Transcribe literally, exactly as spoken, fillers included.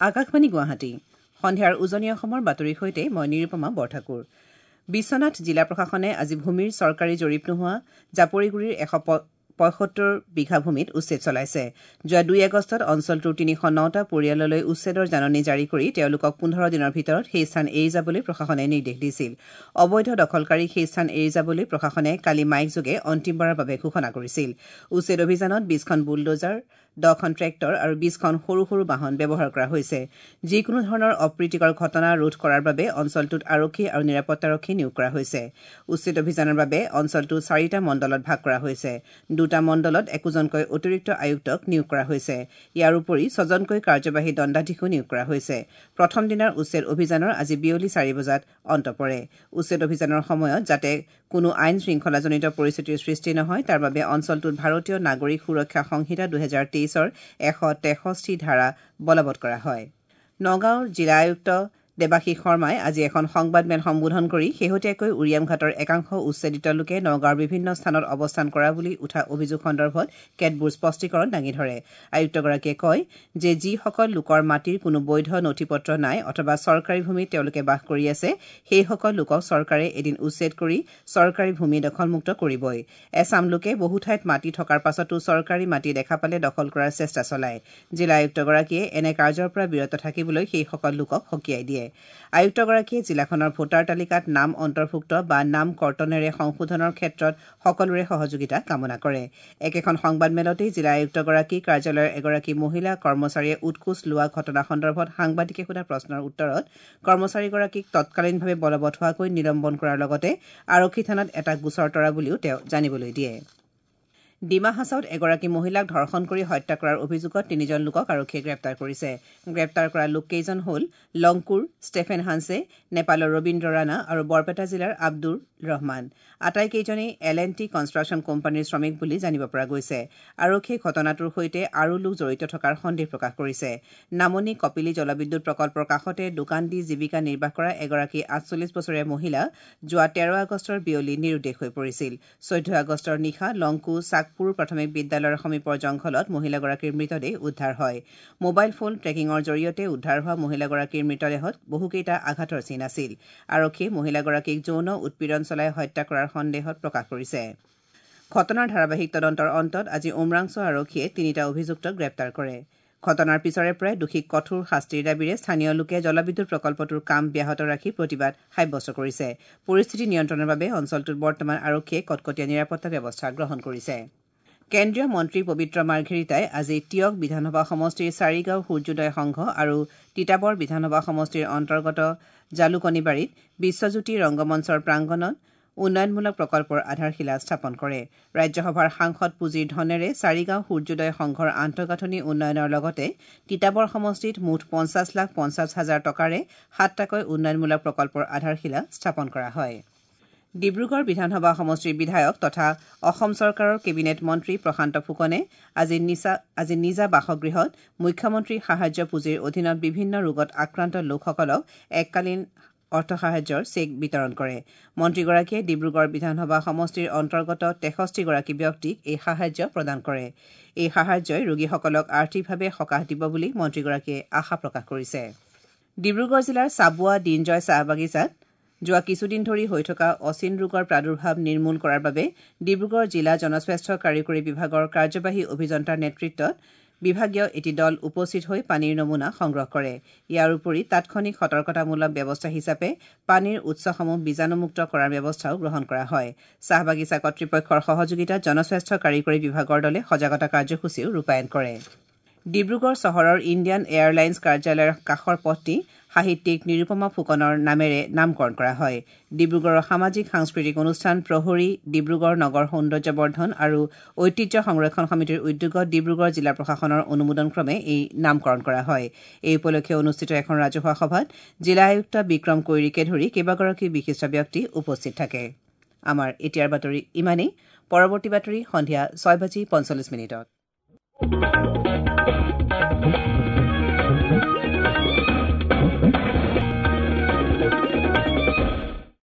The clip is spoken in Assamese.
আকাশবাণী গুৱাহাটী সন্ধিয়াৰ উজনি অসমৰ বাতৰিৰ সৈতে মই নিৰুপমা বৰঠাকুৰ। বিশ্বনাথ জিলা প্ৰশাসনে আজি ভূমিৰ চৰকাৰী জৰীপ নোহোৱা জাপৰিগুৰিৰ এশ পঁয়সত্তৰ বিঘা ভূমিত উচ্ছেদ চলাইছে। যোৱা দুই আগষ্টত অঞ্চলটোৰ তিনিশ নটা পৰিয়াললৈ উচ্ছেদৰ জাননী জাৰি কৰি তেওঁলোকক পোন্ধৰ দিনৰ ভিতৰত সেই স্থান এৰি যাবলৈ প্ৰশাসনে নিৰ্দেশ দিছিল। অবৈধ দখলকাৰীক সেই স্থান এৰি যাবলৈ প্ৰশাসনে কালি মাইকযোগে অন্তিমবাৰৰ বাবে ঘোষণা কৰিছিল। উচ্ছেদ অভিযানত বিশখন বুলডজাৰ, দহখন ট্ৰেক্টৰ আৰু বিশখন সৰু সৰু বাহন ব্যৱহাৰ কৰা হৈছে। যিকোনো ধৰণৰ অপ্ৰীতিকৰ ঘটনা ৰোধ কৰাৰ বাবে অঞ্চলটোত আৰক্ষী আৰু নিৰাপত্তাৰক্ষী নিয়োগ কৰা হৈছে। উচ্ছেদ অভিযানৰ বাবে অঞ্চলটো চাৰিটা মণ্ডলত ভাগ কৰা হৈছে। দুটা মণ্ডলত একোজনকৈ অতিৰিক্ত আয়ুক্তক নিয়োগ কৰা হৈছে। ইয়াৰ উপৰি ছজনকৈ কাৰ্যবাহী দণ্ডাধীশো নিয়োগ কৰা হৈছে। প্ৰথম দিনাৰ উচ্ছেদ অভিযানৰ আজি বিয়লি চাৰি বজাত অন্ত পৰে। উচ্ছেদ অভিযানৰ সময়ত যাতে কোনো আইন শৃংখলাজনিত পৰিস্থিতিৰ সৃষ্টি নহয় তাৰ বাবে অঞ্চলটোত ভাৰতীয় নাগৰিক সুৰক্ষা সংহিতা দুহেজাৰ তেইছৰ এশ তেষষ্ঠি ধাৰা বলবৎ কৰা হয়। নগাঁৱৰ জিলা আয়ুক্ত দেৱাশীষ শৰ্মাই আজি এখন সংবাদমেল সম্বোধন কৰি শেহতীয়াকৈ উৰিয়ামঘাটৰ একাংশ উচ্ছেদিত লোকে নগাঁৱৰ বিভিন্ন স্থানত অৱস্থান কৰা বুলি উঠা অভিযোগ সন্দৰ্ভত কেতবোৰ স্পষ্টীকৰণ দাঙি ধৰে। আয়ুক্তগৰাকীয়ে কয় যে যিসকল লোকৰ মাটিৰ কোনো বৈধ নথি পত্ৰ নাই অথবা চৰকাৰী ভূমিত তেওঁলোকে বাস কৰি আছে সেইসকল লোকক চৰকাৰে এদিন উচ্ছেদ কৰি চৰকাৰী ভূমি দখলমুক্ত কৰিবই। এচাম লোকে বহু ঠাইত মাটি থকাৰ পাছতো চৰকাৰী মাটি দেখা পালে দখল কৰাৰ চেষ্টা চলায়। জিলা আয়ুক্তগৰাকীয়ে এনে কাৰ্যৰ পৰা বিৰত থাকিবলৈ সেইসকল লোকক সকীয়াই দিয়ে। আয়ুক্তগৰাকীয়ে জিলাখনৰ ভোটাৰ তালিকাত নাম অন্তৰ্ভুক্ত বা নাম কৰ্তনেৰে সংশোধনৰ ক্ষেত্ৰত সকলোৰে সহযোগিতা কামনা কৰে। একেখন সংবাদমেলতেই জিলা আয়ুক্তগৰাকী কাৰ্যালয়ৰ এগৰাকী মহিলা কৰ্মচাৰীয়ে উৎকোচ লোৱা ঘটনা সন্দৰ্ভত সাংবাদিকে সোধা প্ৰশ্নৰ উত্তৰত কৰ্মচাৰীগৰাকীক তৎকালীনভাৱে বলবৎ হোৱাকৈ নিলম্বন কৰাৰ লগতে আৰক্ষী থানাত এটা গোচৰ তৰা বুলিও তেওঁ জানিবলৈ দিয়ে। ডিমা হাছাওত এগৰাকী মহিলাক ধৰ্ষণ কৰি হত্যা কৰাৰ অভিযোগত তিনিজন লোকক আৰক্ষীয়ে গ্ৰেপ্তাৰ কৰিছে। গ্ৰেপ্তাৰ কৰা লোককেইজন হ'ল লংকুৰ ষ্টেফেন হানছে, নেপালৰ ৰবীন্দ্ৰ ৰাণা আৰু বৰপেটা জিলাৰ আব্দুৰ ৰহমান। আটাইকেইজনেই এল এন টি কনষ্ট্ৰাকশ্যন কোম্পানীৰ শ্ৰমিক বুলি জানিব পৰা গৈছে। আৰক্ষীয়ে ঘটনাটোৰ সৈতে আৰু লোক জড়িত থকাৰ সন্দেহ প্ৰকাশ কৰিছে। নামনি কপিলী জলবিদ্যুৎ প্ৰকল্পৰ কাষতে দোকান দি জীৱিকা নিৰ্বাহ কৰা এগৰাকী আঠচল্লিছ বছৰীয়া মহিলা যোৱা তেৰ আগষ্টৰ বিয়লি নিৰুদ্দেশ হৈ পৰিছিল। চৈধ্য আগষ্টৰ নিশা লংকু চাকপুৰ প্ৰাথমিক বিদ্যালয়ৰ সমীপৰ জংঘলত মহিলাগৰাকীৰ মৃতদেহ উদ্ধাৰ হয়। মোবাইল ফোন ট্ৰেকিঙৰ জৰিয়তে উদ্ধাৰ হোৱা মহিলাগৰাকীৰ মৃতদেহত বহুকেইটা আঘাতৰ চিন আছিল। আৰক্ষীয়ে মহিলাগৰাকীক যৌন উৎপীড়ন চলাই হত্যা কৰাৰ সন্দেহত প্ৰকাশ কৰিছে। ঘটনাৰ ধাৰাবাহিক তদন্তৰ অন্তত আজি উমৰাংছ আৰক্ষীয়ে তিনিটা অভিযুক্তক গ্ৰেপ্তাৰ কৰে। ঘটনাৰ পিছৰে পৰাই দোষীক কঠোৰ শাস্তিৰ দাবীৰে স্থানীয় লোকে জলবিদ্যুৎ প্ৰকল্পটোৰ কাম ব্যাহত ৰাখি প্ৰতিবাদ সাব্যস্ত কৰিছে। পৰিস্থিতি নিয়ন্ত্ৰণৰ বাবে অঞ্চলটোত বৰ্তমান আৰক্ষীয়ে কটকটীয়া নিৰাপত্তা ব্যৱস্থা গ্ৰহণ কৰিছে। কেন্দ্ৰীয় মন্ত্ৰী পবিত্ৰ মাৰ্ঘেৰিটাই আজি টীয়ক বিধানসভা সমষ্টিৰ চাৰিগাঁও সূৰ্যোদয় সংঘ আৰু তিতাবৰ বিধানসভা সমষ্টিৰ অন্তৰ্গত জালুকনিবাৰীত বিশ্বজ্যোতি ৰংগমঞ্চৰ প্ৰাংগণত উন্নয়নমূলক প্ৰকল্পৰ আধাৰশিলা স্থাপন কৰে। ৰাজ্যসভাৰ সাংসদ পুঁজিৰ ধনেৰে চাৰিগাঁও সূৰ্যোদয় সংঘৰ আন্তঃগাঁথনি উন্নয়নৰ লগতে তিতাবৰ সমষ্টিত মুঠ পঞ্চাছ লাখ পঞ্চাছ হাজাৰ টকাৰে সাতটাকৈ উন্নয়নমূলক প্ৰকল্পৰ আধাৰশিলা স্থাপন কৰা হয়। ডিব্ৰুগড় বিধানসভা সমষ্টিৰ বিধায়ক তথা অসম চৰকাৰৰ কেবিনেট মন্ত্ৰী প্ৰশান্ত ফুকনে আজি নিচা আজি নিজা বাসগৃহত মুখ্যমন্ত্ৰী সাহায্য পুঁজিৰ অধীনত বিভিন্ন ৰোগত আক্ৰান্ত লোকসকলক এককালীন অৰ্থ সাহায্যৰ চেক বিতৰণ কৰে। মন্ত্ৰীগৰাকীয়ে ডিব্ৰুগড় বিধানসভা সমষ্টিৰ অন্তৰ্গত তেষষ্ঠিগৰাকী ব্যক্তিক এই সাহায্য প্ৰদান কৰে। এই সাহায্যই ৰোগীসকলক আৰ্থিকভাৱে সকাহ দিব বুলি মন্ত্ৰীগৰাকীয়ে আশা প্ৰকাশ কৰিছে। ডিব্ৰুগড় জিলাৰ চাবুৱা দিনজয় চাহ বাগিচাত যোৱা কিছুদিন ধৰি হৈ থকা অচিন ৰোগৰ প্ৰাদুৰ্ভাৱ নিৰ্মূল কৰাৰ বাবে ডিব্ৰুগড় জিলা জনস্বাস্থ্য কাৰিকৰী বিভাগৰ কাৰ্যবাহী অভিযন্তাৰ নেতৃত্বত বিভাগীয় এটি দল উপস্থিত হৈ পানীৰ নমুনা সংগ্ৰহ কৰে। ইয়াৰ উপৰি তাৎক্ষণিক সতৰ্কতামূলক ব্যৱস্থা হিচাপে পানীৰ উৎসসমূহ বীজাণুমুক্ত কৰাৰ ব্যৱস্থাও গ্ৰহণ কৰা হয়। চাহ বাগিচা কৰ্তৃপক্ষৰ সহযোগিতাত জনস্বাস্থ্য কাৰিকৰী বিভাগৰ দলে সজাগতা কাৰ্যসূচীও ৰূপায়ণ কৰে। ডিব্ৰুগড় চহৰৰ ইণ্ডিয়ান এয়াৰলাইন্স কাৰ্যালয়ৰ কাষৰ পথটি সাহিত্যিক নিৰুপমা ফুকনৰ নামেৰে নামকৰণ কৰা হয়। ডিব্ৰুগড়ৰ সামাজিক সাংস্কৃতিক অনুষ্ঠান প্ৰহৰী, ডিব্ৰুগড় নগৰ সৌন্দৰ্যবৰ্ধন আৰু ঐতিহ্য সংৰক্ষণ সমিতিৰ উদ্যোগত ডিব্ৰুগড় জিলা প্ৰশাসনৰ অনুমোদনক্ৰমে এই নামকৰণ কৰা হয়। এই উপলক্ষে অনুষ্ঠিত এখন ৰাজহুৱা সভাত জিলা আয়ুক্ত বিক্ৰম কৈৰীকে ধৰি কেইবাগৰাকী বিশিষ্ট ব্যক্তি উপস্থিত থাকে। আমাৰ এতিয়াৰ বাতৰি ইমানেই। পৰৱৰ্তী বাতৰি সন্ধিয়া ছয় বাজি পঞ্চল্লিছ মিনিটত।